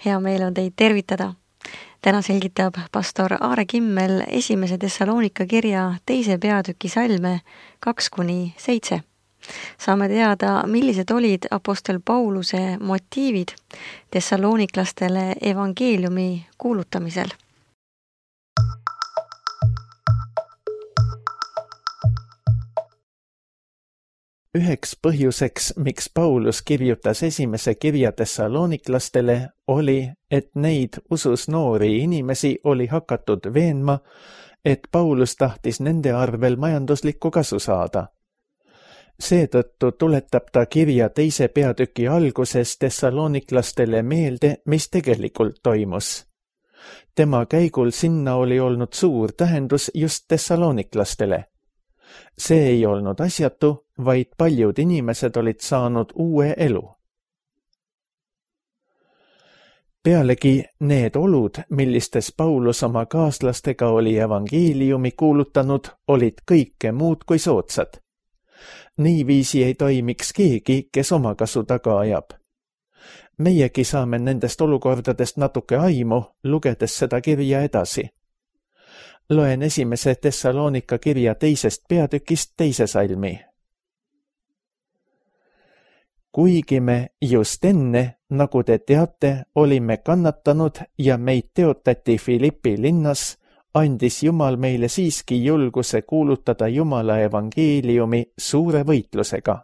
Hea meel on teid tervitada. Täna selgitab pastor Aare Kimmel esimese Thessalonika kirja 2. peatüki salme 2-7. Saame teada, millised olid apostel Pauluse motiivid thessaloniklastele evangeeliumi kuulutamisel. Üheks põhjuseks, miks Paulus kirjutas esimese kirja thessaloniklastele, oli, et neid usus noori inimesi oli hakatud veenma, et Paulus tahtis nende arvel majanduslikku kasu saada. Seetõttu tuletab ta kirja 2. peatüki alguses thessaloniklastele meelde, mis tegelikult toimus. Tema käigul sinna oli olnud suur tähendus just thessaloniklastele. See ei olnud asjatu, vaid paljud inimesed olid saanud uue elu. Pealegi need olud, millistes Paulus oma kaaslastega oli evangeeliumi kuulutanud, olid kõike muud kui soodsad. Niiviisi ei toimiks keegi, kes oma kasu taga ajab. Meiegi saame nendest olukordadest natuke aimu, lugedes seda kirja edasi. Loen esimese Thessalonika kirja 2. peatükist 2. salmi. Kuigi me just enne, nagu te teate, olime kannatanud ja meid teotati Filippi linnas, andis Jumal meile siiski julguse kuulutada Jumala evangeeliumi suure võitlusega.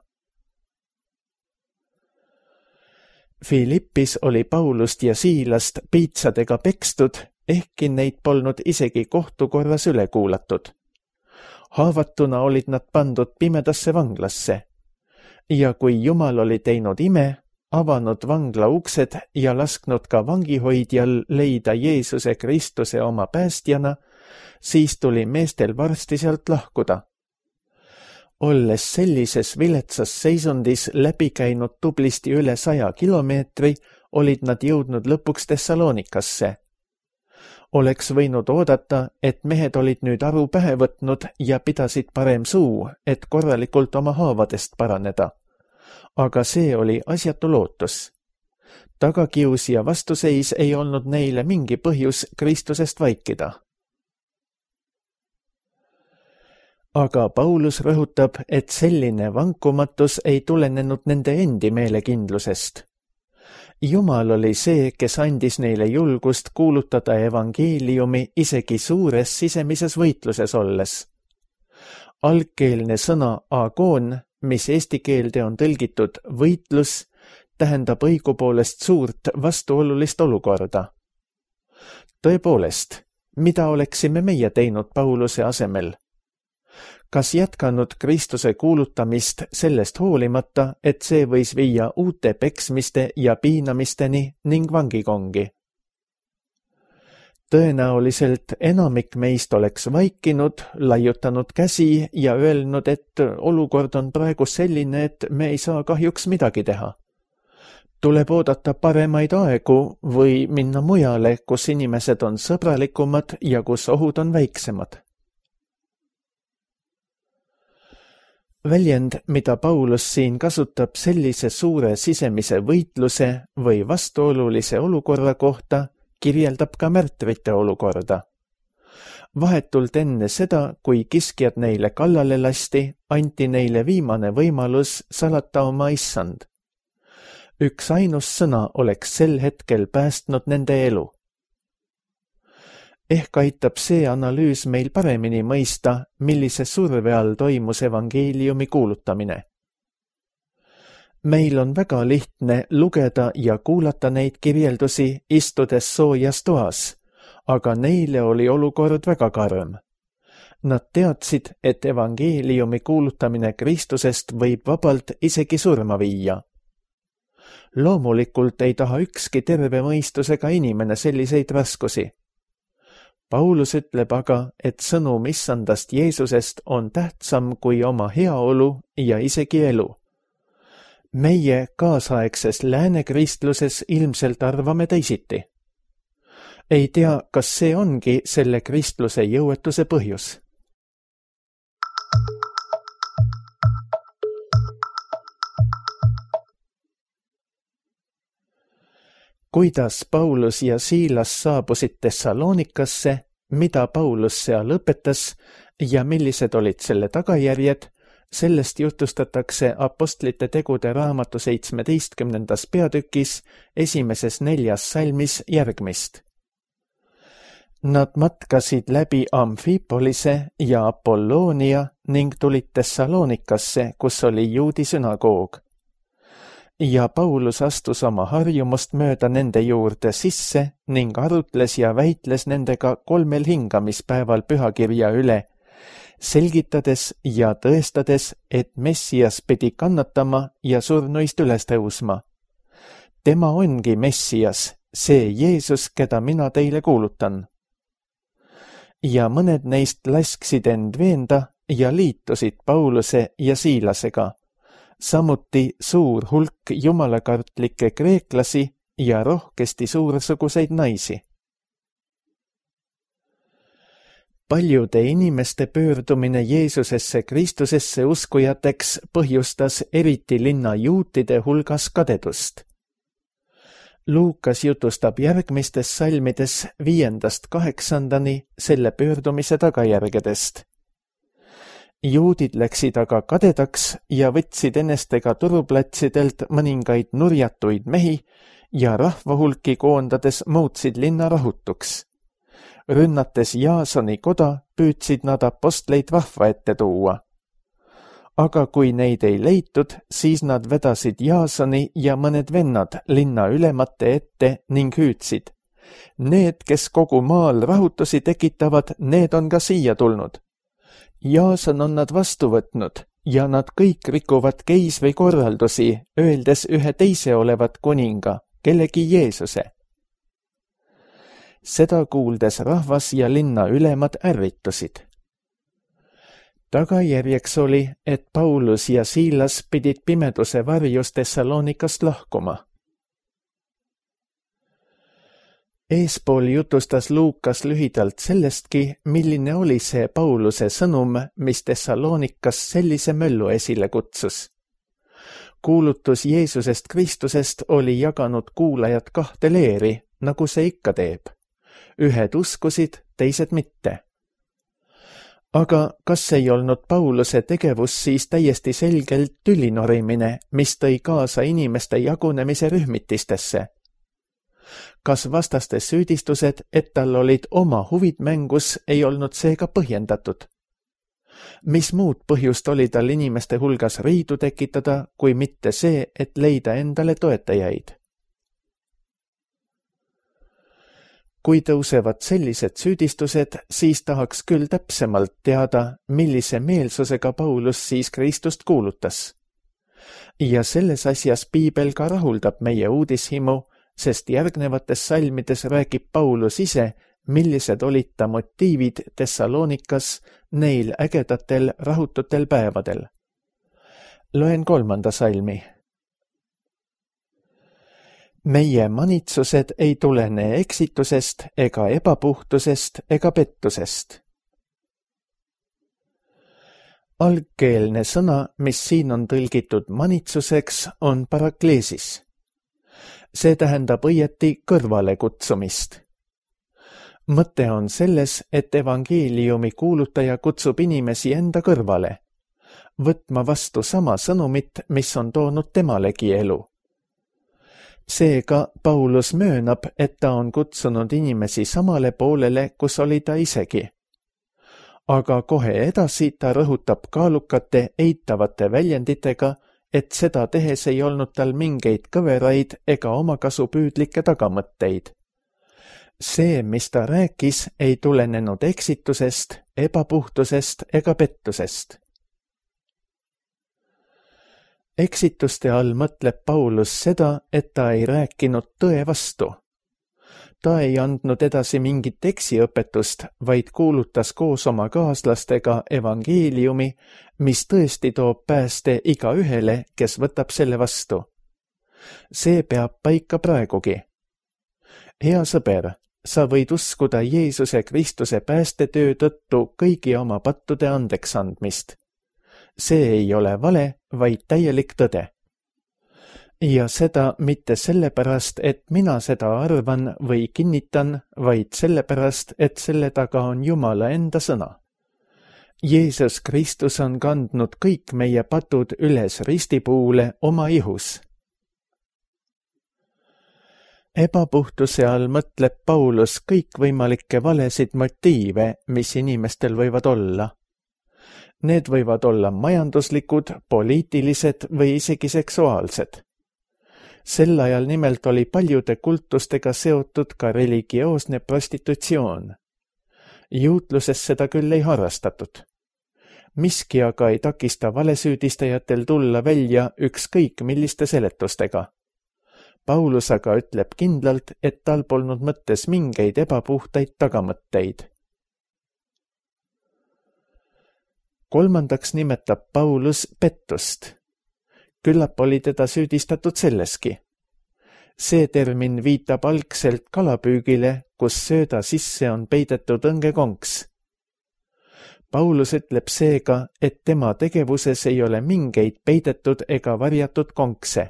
Filippis oli Paulust ja Siilast piitsadega pekstud, ehkki neid polnud isegi kohtukorras üle kuulatud. Haavatuna olid nad pandud pimedasse vanglasse. Ja kui Jumal oli teinud ime, avanud vangla uksed ja lasknud ka vangihoidjal leida Jeesuse Kristuse oma päästjana, siis tuli meestel varsti sealt lahkuda. Olles sellises viletsas seisundis läbi käinud tublisti üle 100 kilomeetri, olid nad jõudnud lõpuks Thessalonikasse. Oleks võinud oodata, et mehed olid nüüd aru pähe võtnud ja pidasid parem suu, et korralikult oma haavadest paraneda. Aga see oli asjatu lootus. Tagakius ja vastuseis ei olnud neile mingi põhjus Kristusest vaikida. Aga Paulus rõhutab, et selline vankumatus ei tulenenud nende endi meelekindlusest. Jumal oli see, kes andis neile julgust kuulutada evangeeliumi isegi suures sisemises võitluses olles. Algkeelne sõna agoon, mis eesti keelde on tõlgitud võitlus, tähendab õigupoolest suurt vastuolulist olukorda. Tõepoolest, mida oleksime meie teinud Pauluse asemel? Kas jätkanud Kristuse kuulutamist sellest hoolimata, et see võis viia uute peksmiste ja piinamisteni ning vangikongi? Tõenäoliselt enamik meist oleks vaikinud, laiutanud käsi ja öelnud, et olukord on praegu selline, et me ei saa kahjuks midagi teha. Tuleb oodata paremaid aegu või minna mujale, kus inimesed on sõbralikumad ja kus ohud on väiksemad. Väljend, mida Paulus siin kasutab sellise suure sisemise võitluse või vastuolulise olukorra kohta, kirjeldab ka märtrite olukorda. Vahetult enne seda, kui kiskjad neile kallale lasti, anti neile viimane võimalus salata oma issand. Üks ainus sõna oleks sel hetkel päästnud nende elu. Ehk aitab see analüüs meil paremini mõista, millise surve all toimus evangeeliumi kuulutamine. Meil on väga lihtne lugeda ja kuulata neid kirjeldusi istudes soojas toas, aga neile oli olukord väga karm. Nad teadsid, et evangeeliumi kuulutamine Kristusest võib vabalt isegi surma viia. Loomulikult ei taha ükski terve mõistusega inimene selliseid raskusi. Paulus ütleb aga, et sõnum issandast Jeesusest on tähtsam kui oma heaolu ja isegi elu. Meie kaasaegses läänekristluses ilmselt arvame teisiti. Ei tea, kas see ongi selle kristluse jõuetuse põhjus. kuidas Paulus ja Siilas saabusid Thessalonikasse, mida Paulus seal õpetas ja millised olid selle tagajärjed, sellest jutustatakse Apostlite tegude raamatu 17. peatükis 1. 4. salmis järgmist. Nad matkasid läbi Amfipolise ja Apolloonia ning tulid Thessalonikasse, kus oli juudi sünagoog. Ja Paulus astus oma harjumust mööda nende juurde sisse ning arutles ja väitles nendega 3 hingamispäeval pühakirja üle, selgitades ja tõestades, et Messias pidi kannatama ja surnuist üles tõusma. Tema ongi Messias, see Jeesus, keda mina teile kuulutan. Ja mõned neist lasksid end veenda ja liitusid Pauluse ja Siilasega, samuti suur hulk jumalakartlikke kreeklasi ja rohkesti suursuguseid naisi. Paljude inimeste pöördumine Jeesusesse Kristusesse uskujateks põhjustas eriti linna juutide hulgas kadedust. Luukas jutustab järgmistes salmides 5-8 selle pöördumise tagajärgedest. Juudid läksid aga kadedaks ja võtsid enestega turuplatsidelt mõningaid nurjatuid mehi ja rahvahulki koondades muutsid linna rahutuks. Rünnates Jaasoni koda püüdsid nad apostleid vahva ette tuua. Aga kui neid ei leitud, siis nad vedasid Jaasoni ja mõned vennad linna ülemate ette ning hüüdsid. Need, kes kogu maal rahutusi tekitavad, need on ka siia tulnud. Jaason on nad vastu võtnud ja nad kõik rikuvad keisri korraldusi, öeldes ühe teise olevat kuninga, kellegi Jeesuse. Seda kuuldes rahvas ja linna ülemad ärritusid. Tagajärjeks oli, et Paulus ja Siilas pidid pimeduse varjus Thessalonikast lahkuma. Eespool jutustas Luukas lühidalt sellestki, milline oli see Pauluse sõnum, mis Thessalonikas sellise möllu esile kutsus. Kuulutus Jeesusest Kristusest oli jaganud kuulajad 2 leeri, nagu see ikka teeb. Ühed uskusid, teised mitte. Aga kas ei olnud Pauluse tegevus siis täiesti selgelt tülinorimine, mis tõi kaasa inimeste jagunemise rühmitistesse? Kas vastaste süüdistused, et tal olid oma huvid mängus, ei olnud seega põhjendatud? Mis muud põhjust oli tal inimeste hulgas riidu tekitada, kui mitte see, et leida endale toetajaid? Kui tõusevad sellised süüdistused, siis tahaks küll täpsemalt teada, millise meelsusega Paulus siis Kristust kuulutas. Ja selles asjas Piibel ka rahuldab meie uudishimu, sest järgnevates salmides räägib Paulus ise, millised olid ta motiivid Thessalonikas neil ägedatel rahututel päevadel. Loen 3. salmi. Meie manitsused ei tulene eksitusest ega ebapuhtusest ega pettusest. Algkeelne sõna, mis siin on tõlgitud manitsuseks, on parakleesis. See tähendab õieti kõrvale kutsumist. Mõte on selles, et evangeeliumi kuulutaja kutsub inimesi enda kõrvale, võtma vastu sama sõnumit, mis on toonud temalegi elu. Seega Paulus möönab, et ta on kutsunud inimesi samale poolele, kus oli ta isegi. Aga kohe edasi ta rõhutab kaalukate eitavate väljenditega, et seda tehes ei olnud tal mingeid kõveraid ega omakasupüüdlikke tagamõtteid. See, mis ta rääkis, ei tulenenud eksitusest, ebapuhtusest ega pettusest. Eksituste all mõtleb Paulus seda, et ta ei rääkinud tõe vastu. Ta ei andnud edasi mingit eksiõpetust, vaid kuulutas koos oma kaaslastega evangeeliumi, mis tõesti toob pääste igaühele, kes võtab selle vastu. See peab paika praegugi. Hea sõber, sa võid uskuda Jeesuse Kristuse päästetöö tõttu kõigi oma pattude andeks andmist. See ei ole vale, vaid täielik tõde. Ja seda mitte sellepärast, et mina seda arvan või kinnitan, vaid sellepärast, et selle taga on Jumala enda sõna. Jeesus Kristus on kandnud kõik meie patud üles ristipuule oma ihus. Ebapuhtuse all mõtleb Paulus kõikvõimalikke valesid motiive, mis inimestel võivad olla. Need võivad olla majanduslikud, poliitilised või isegi seksuaalsed. Sel ajal nimelt oli paljude kultustega seotud ka religioosne prostitutsioon. Juutluses seda küll ei harrastatud. Miski aga ei takista valesüüdistajatel tulla välja ükskõik milliste seletustega. Paulus aga ütleb kindlalt, et tal polnud mõttes mingeid ebapuhtaid tagamõtteid. Kolmandaks nimetab Paulus pettust. Küllap oli teda süüdistatud selleski. See termin viitab algselt kalapüügile, kus sööda sisse on peidetud õngekonks. Paulus ütleb seega, et tema tegevuses ei ole mingeid peidetud ega varjatud konkse.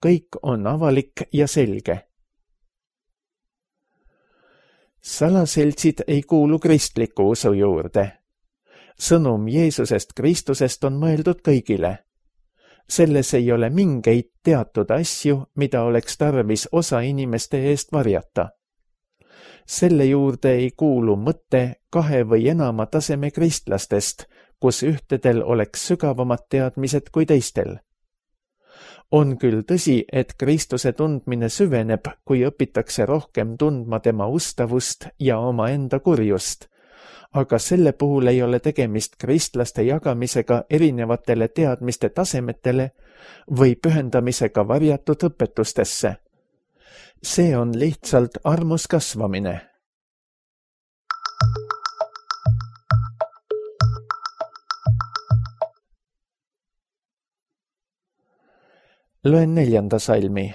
Kõik on avalik ja selge. Salaseltsid ei kuulu kristliku usu juurde. Sõnum Jeesusest Kristusest on mõeldud kõigile. Selles ei ole mingeid teatud asju, mida oleks tarvis osa inimeste eest varjata. Selle juurde ei kuulu mõte 2 või enama taseme kristlastest, kus ühtedel oleks sügavamad teadmised kui teistel. On küll tõsi, et Kristuse tundmine süveneb, kui õpitakse rohkem tundma tema ustavust ja omaenda kurjust, aga selle puhul ei ole tegemist kristlaste jagamisega erinevatele teadmiste tasemetele või pühendamisega varjatud õpetustesse. See on lihtsalt armus kasvamine. Loen 4. salmi.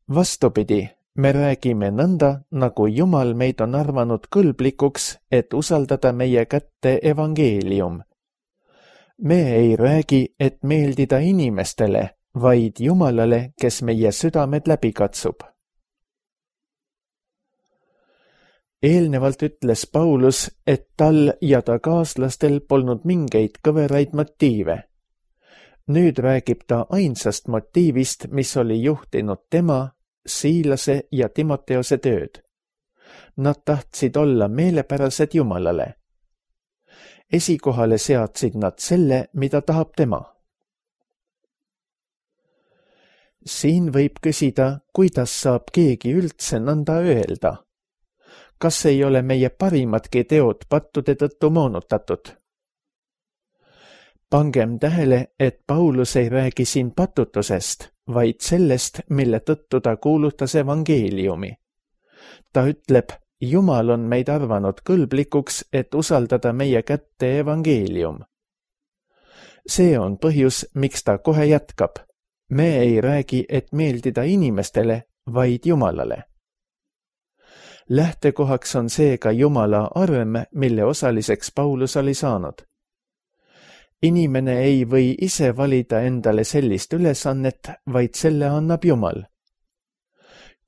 Vastupidi, me räägime nõnda, nagu Jumal meid on arvanud kõlblikuks, et usaldada meie kätte evangeelium. Me ei räägi, et meeldida inimestele, vaid Jumalale, kes meie südamed läbi katsub. Eelnevalt ütles Paulus, et tal ja ta kaaslastel polnud mingeid kõveraid motiive. Nüüd räägib ta ainsast motiivist, mis oli juhtinud tema, Siilase ja Timoteose tööd. Nad tahtsid olla meelepärased Jumalale. Esikohale seadsid nad selle, mida tahab tema. Siin võib küsida, kuidas saab keegi üldse nõnda öelda. Kas ei ole meie parimadki teod pattude tõttu moonutatud? Pangem tähele, et Paulus ei räägi siin patutusest, vaid sellest, mille tõttu ta kuulutas evangeeliumi. Ta ütleb, Jumal on meid arvanud kõlblikuks, et usaldada meie kätte evangeelium. See on põhjus, miks ta kohe jätkab. Me ei räägi, et meeldida inimestele, vaid Jumalale. Lähtekohaks on seega Jumala arm, mille osaliseks Paulus oli saanud. Inimene ei või ise valida endale sellist ülesannet, vaid selle annab Jumal.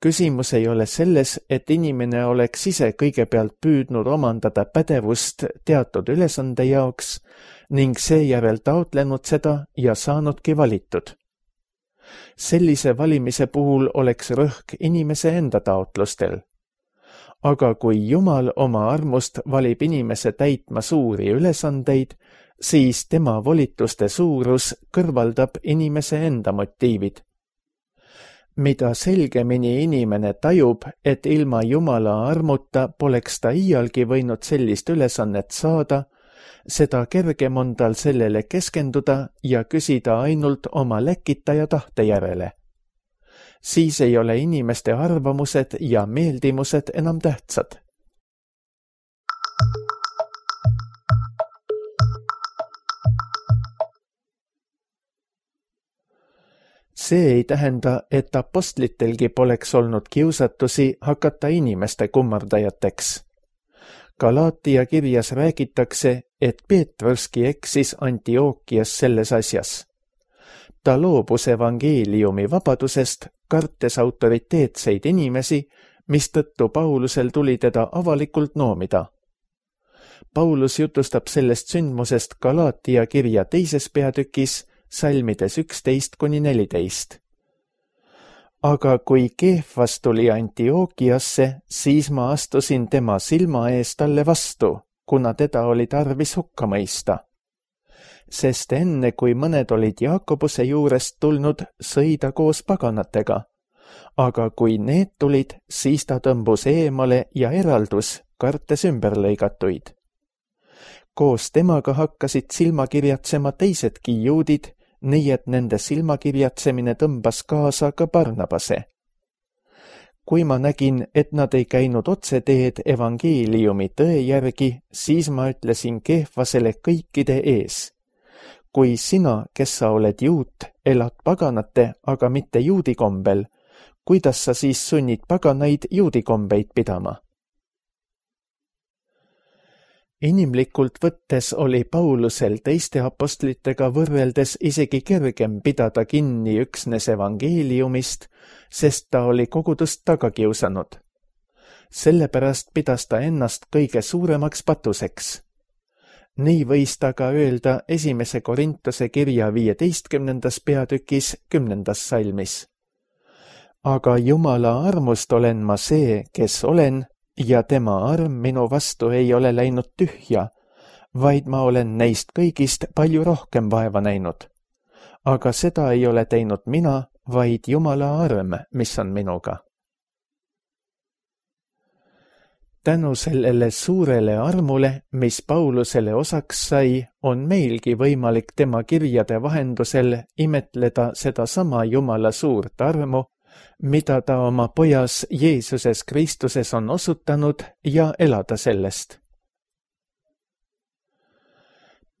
Küsimus ei ole selles, et inimene oleks ise kõigepealt püüdnud omandada pädevust teatud ülesande jaoks ning seejärel taotlenud seda ja saanudki valitud. Sellise valimise puhul oleks rõhk inimese enda taotlustel. Aga kui Jumal oma armust valib inimese täitma suuri ülesandeid, siis tema volituste suurus kõrvaldab inimese enda motiivid. Mida selgemini inimene tajub, et ilma Jumala armuta poleks ta iialgi võinud sellist ülesannet saada, seda kergem on tal sellele keskenduda ja küsida ainult oma läkitaja tahte järele. Siis ei ole inimeste arvamused ja meeldimused enam tähtsad. See ei tähenda, et apostlitelgi poleks olnud kiusatusi hakata inimeste kummardajateks. Galaatia kirjas räägitakse, et Peetruski eksis Antiookias selles asjas. ta loobus evangeeliumi vabadusest, kartes autoriteetseid inimesi, mistõttu Paulusel tuli teda avalikult noomida. Paulus jutustab sellest sündmusest Galaatia kirja 2. peatükis, salmides 11-14. Aga kui Keefas tuli Antiookiasse, siis ma astusin tema silma ees talle vastu, kuna teda oli tarvis hukka mõista. Sest enne, kui mõned olid Jaakobuse juurest tulnud, sõi ta koos paganatega. Aga kui need tulid, siis ta tõmbus eemale ja eraldus, kartes ümberlõigatuid. Koos temaga hakkasid silmakirjatsema teisedki juudid, nii et nende silmakirjatsemine tõmbas kaasa ka Barnabase. Kui ma nägin, et nad ei käinud otseteed evangeeliumi tõe järgi, siis ma ütlesin Keefasele kõikide ees. Kui sina, kes sa oled juut, elad paganate, aga mitte juudi kombel, kuidas sa siis sunnid paganaid juudi kombeid pidama? Inimlikult võttes oli Paulusel teiste apostlitega võrreldes isegi kergem pidada kinni üksnes evangeeliumist, sest ta oli kogudust taga kiusanud. Sellepärast pidas ta ennast kõige suuremaks patuseks. Nii võis ta ka öelda 1. Korintuse kirja 15. peatükis 10. salmis. Aga Jumala armust olen ma see, kes olen, ja tema arm minu vastu ei ole läinud tühja, vaid ma olen neist kõigist palju rohkem vaeva näinud. Aga seda ei ole teinud mina, vaid Jumala arm, mis on minuga. Tänu sellele suurele armule, mis Paulusele osaks sai, on meilgi võimalik tema kirjade vahendusel imetleda sedasama Jumala suurt armu, mida ta oma pojas Jeesuses Kristuses on osutanud ja elada sellest.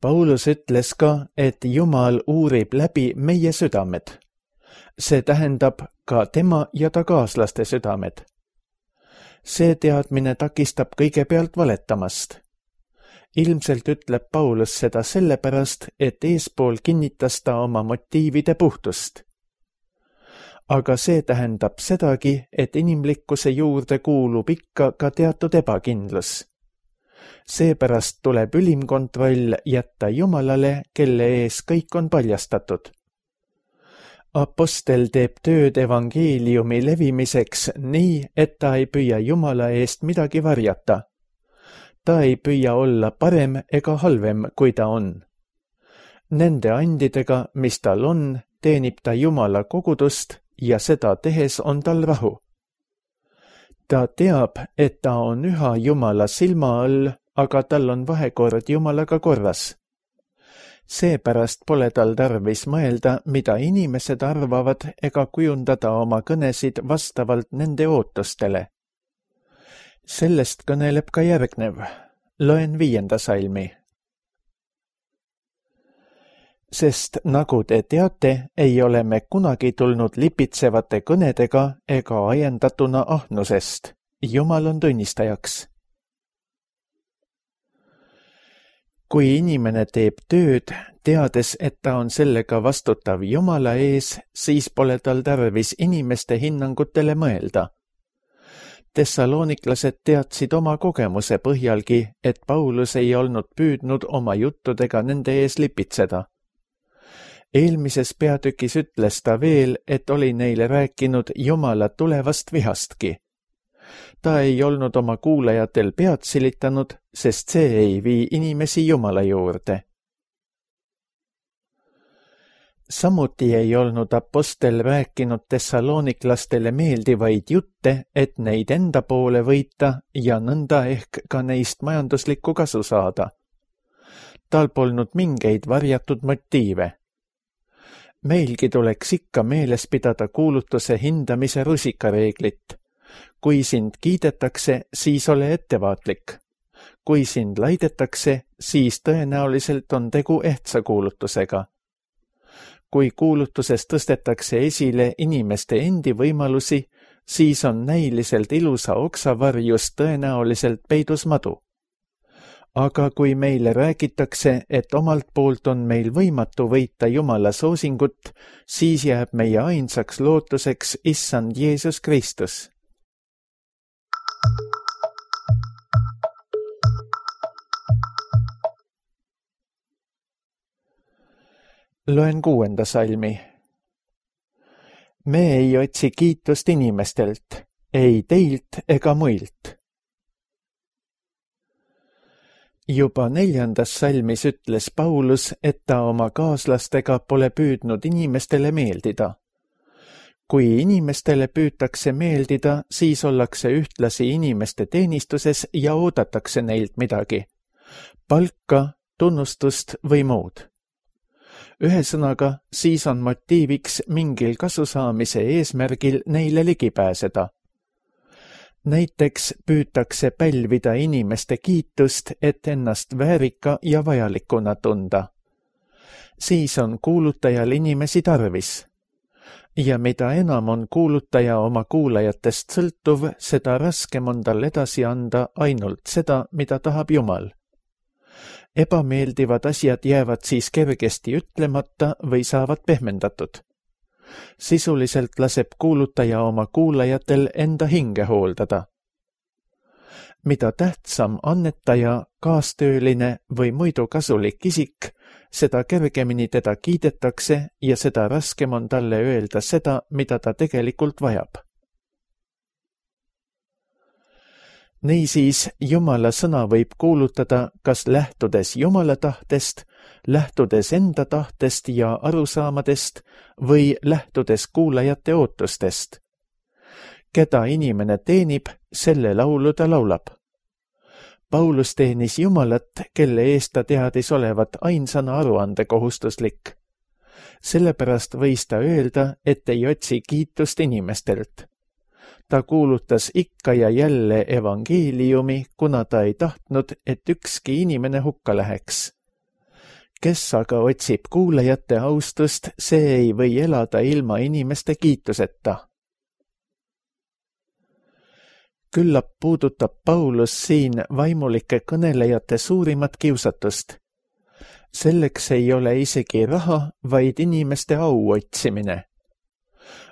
Paulus ütles ka, et Jumal uurib läbi meie südamed. See tähendab ka tema ja ta kaaslaste südamed. See teadmine takistab kõigepealt valetamast. Ilmselt ütleb Paulus seda sellepärast, et eespool kinnitas ta oma motiivide puhtust. Aga see tähendab sedagi, et inimlikkuse juurde kuulub ikka ka teatud ebakindlus. Seepärast tuleb ülim kontroll jätta Jumalale, kelle ees kõik on paljastatud. Apostel teeb tööd evangeeliumi levimiseks nii, et ta ei püüa Jumala eest midagi varjata. Ta ei püüa olla parem ega halvem, kui ta on. Nende andidega, mis tal on, teenib ta Jumala kogudust ja seda tehes on tal rahu. Ta teab, et ta on üha Jumala silma all, aga tal on vahekord Jumalaga korras. Seepärast pole tal tarvis mõelda, mida inimesed arvavad, ega kujundada oma kõnesid vastavalt nende ootustele. Sellest kõneleb ka järgnev. Loen 5. salmi. Sest nagu te teate, ei ole me kunagi tulnud lipitsevate kõnedega ega ajendatuna ahnusest. Jumal on tunnistajaks. Kui inimene teeb tööd, teades, et ta on sellega vastutav Jumala ees, siis pole tal tarvis inimeste hinnangutele mõelda. Tessaloniklased teadsid oma kogemuse põhjalgi, et Paulus ei olnud püüdnud oma juttudega nende ees lipitseda. Eelmises peatükis ütles ta veel, et oli neile rääkinud Jumala tulevast vihastki. Ta ei olnud oma kuulajatel pead silitanud, sest see ei vii inimesi Jumala juurde. Samuti ei olnud apostel rääkinud tessaloniklastele meeldivaid jutte, et neid enda poole võita ja nõnda ehk ka neist majanduslikku kasu saada. Tal polnud mingeid varjatud motiive. Meilgi tuleks ikka meeles pidada kuulutuse hindamise rusikareeglit. Kui sind kiidetakse, siis ole ettevaatlik. Kui sind laidetakse, siis tõenäoliselt on tegu ehtsa kuulutusega. Kui kuulutuses tõstetakse esile inimeste endi võimalusi, siis on näiliselt ilusa oksa varjus tõenäoliselt peidus madu. aga kui meile räägitakse, et omalt poolt on meil võimatu võita Jumala soosingut, siis jääb meie ainsaks lootuseks Issand Jeesus Kristus. Loen 6. salmi. Me ei otsi kiitust inimestelt, ei teilt ega muilt. Juba 4. salmis ütles Paulus, et ta oma kaaslastega pole püüdnud inimestele meeldida. Kui inimestele püütakse meeldida, siis ollakse ühtlasi inimeste teenistuses ja oodatakse neilt midagi. Palka, tunnustust või muud. Ühesõnaga, siis on motiiviks mingil kasusaamise eesmärgil neile ligi pääseda. Näiteks püütakse pälvida inimeste kiitust, et ennast väärika ja vajalikuna tunda. Siis on kuulutajal inimesi tarvis. Ja mida enam on kuulutaja oma kuulajatest sõltuv, seda raskem on tal edasi anda ainult seda, mida tahab Jumal. Ebameeldivad asjad jäävad siis kergesti ütlemata või saavad pehmendatud. Sisuliselt laseb kuulutaja oma kuulajatel enda hinge hooldada. Mida tähtsam annetaja, kaastööline või muidu kasulik isik, seda kergemini teda kiidetakse ja seda raskem on talle öelda seda, mida ta tegelikult vajab. Niisiis, Jumala sõna võib kuulutada kas lähtudes Jumala tahtest, lähtudes enda tahtest ja arusaamadest või lähtudes kuulajate ootustest. Keda inimene teenib, selle laulu ta laulab. Paulus teenis Jumalat, kelle eest ta teadis olevat ainsana aruandekohustuslik. Sellepärast võis ta öelda, et ei otsi kiitust inimestelt. Ta kuulutas ikka ja jälle evangeeliumi, kuna ta ei tahtnud, et ükski inimene hukka läheks. Kes aga otsib kuulajate austust, see ei või elada ilma inimeste kiituseta. Küllap puudutab Paulus siin vaimulike kõnelejate suurimat kiusatust. Selleks ei ole isegi raha, vaid inimeste au otsimine.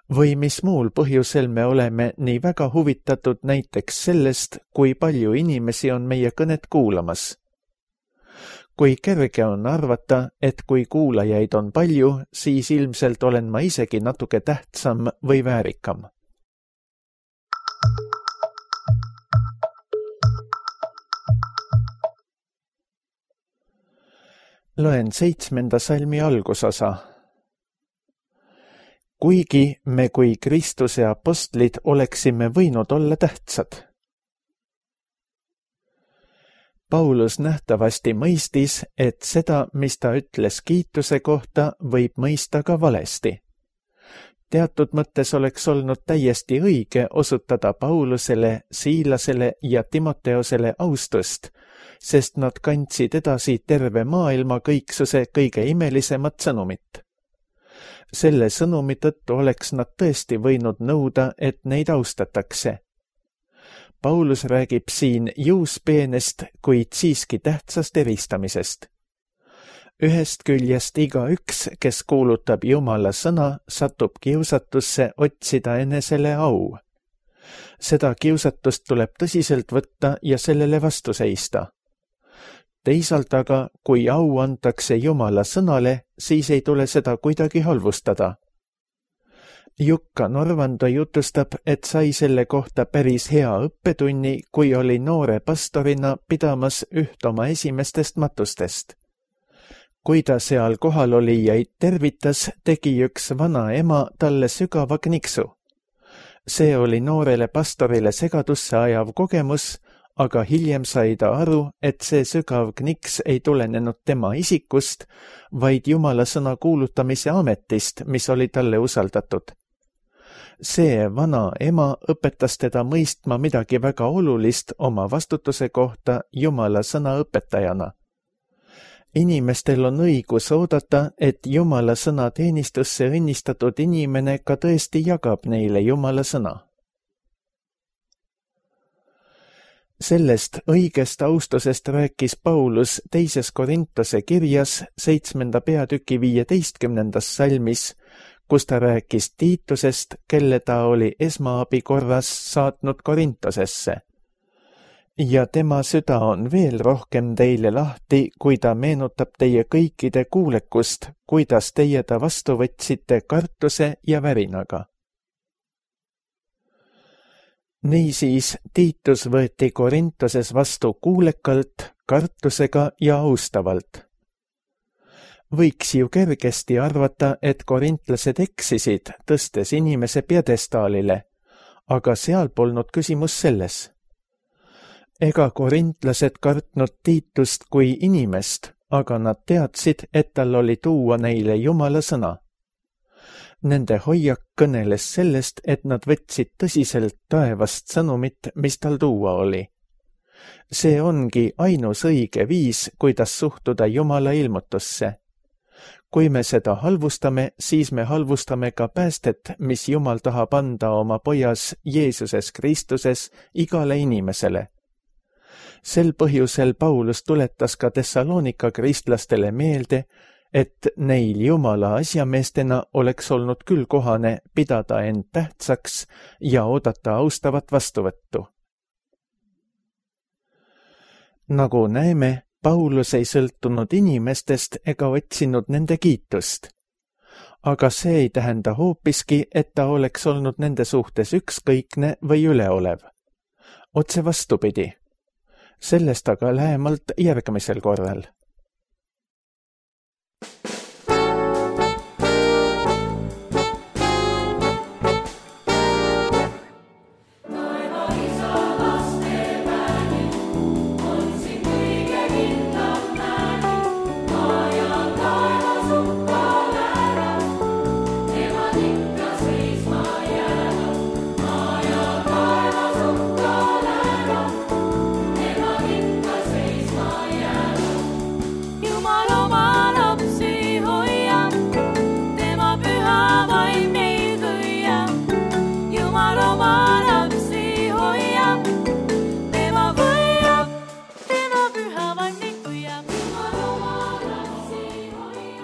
Või mis muul põhjusel me oleme nii väga huvitatud näiteks sellest, kui palju inimesi on meie kõnet kuulamas. Kui kerge on arvata, et kui kuulajaid on palju, siis ilmselt olen ma isegi natuke tähtsam või väärikam. Loen 7. salmi algusosa. Kuigi me kui Kristuse apostlid oleksime võinud olla tähtsad. Paulus nähtavasti mõistis, et seda, mis ta ütles kiituse kohta, võib mõista ka valesti. Teatud mõttes oleks olnud täiesti õige osutada Paulusele, Siilasele ja Timoteosele austust, sest nad kandsid edasi terve maailma kõiksuse kõige imelisemat sõnumit. Selle sõnumi tõttu oleks nad tõesti võinud nõuda, et neid austatakse. Paulus räägib siin juuspeenest, kuid siiski tähtsast eristamisest. Ühest küljest igaüks, kes kuulutab Jumala sõna, satub kiusatusse otsida enesele au. Seda kiusatust tuleb tõsiselt võtta ja sellele vastu seista. Teisalt aga, kui au antakse Jumala sõnale, siis ei tule seda kuidagi halvustada. Jukka Norvando jutustab, et sai selle kohta päris hea õppetunni, kui oli noore pastorina pidamas üht oma esimestest matustest. Kui ta seal kohal olijaid tervitas, tegi üks vana ema talle sügava kniksu. See oli noorele pastorile segadusse ajav kogemus, aga hiljem sai ta aru, et see sügav kniks ei tulenenud tema isikust, vaid Jumala sõna kuulutamise ametist, mis oli talle usaldatud. See vana ema õpetas teda mõistma midagi väga olulist oma vastutuse kohta Jumala sõna õpetajana. Inimestel on õigus oodata, et Jumala sõna teenistusse õnnistatud inimene ka tõesti jagab neile Jumala sõna. Sellest õigest austusest rääkis Paulus 2. Korintuse kirjas 7. peatüki 15. salmis, kus ta rääkis Tiitusest, kelle ta oli esmaabi korras saatnud Korintosesse. Ja tema süda on veel rohkem teile lahti, kui ta meenutab teie kõikide kuulekust, kuidas teie ta vastu võtsite kartuse ja värinaga. Niisiis Tiitus võeti Korintoses vastu kuulekalt, kartusega ja austavalt. Võiks ju kergesti arvata, et korintlased eksisid, tõstes inimese pjedestaalile, aga seal polnud küsimus selles. Ega korintlased kartnud Tiitust kui inimest, aga nad teadsid, et tal oli tuua neile Jumala sõna. Nende hoiak kõneles sellest, et nad võtsid tõsiselt taevast sõnumit, mis tal tuua oli. See ongi ainus õige viis, kuidas suhtuda Jumala ilmutusse. Kui me seda halvustame, siis me halvustame ka päästet, mis Jumal tahab anda oma pojas Jeesuses Kristuses igale inimesele. Sel põhjusel Paulus tuletas ka Thessalonika kristlastele meelde, et neil Jumala asjameestena oleks olnud küll kohane pidada end tähtsaks ja oodata austavat vastuvõttu. Nagu näeme, Paulus ei sõltunud inimestest ega otsinud nende kiitust. Aga see ei tähenda hoopiski, et ta oleks olnud nende suhtes ükskõikne või üleolev. Otse vastupidi. Sellest aga lähemalt järgmisel korral.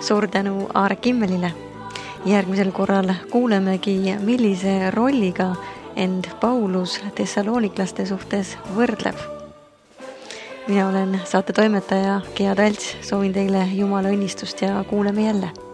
Suur tänu Aare Kimmelile. Järgmisel korral kuulemegi, millise rolliga end Paulus Thessaloniklaste suhtes võrdleb. Mina olen saate toimetaja Gea Talts, soovin teile Jumala õnnistust ja kuuleme jälle.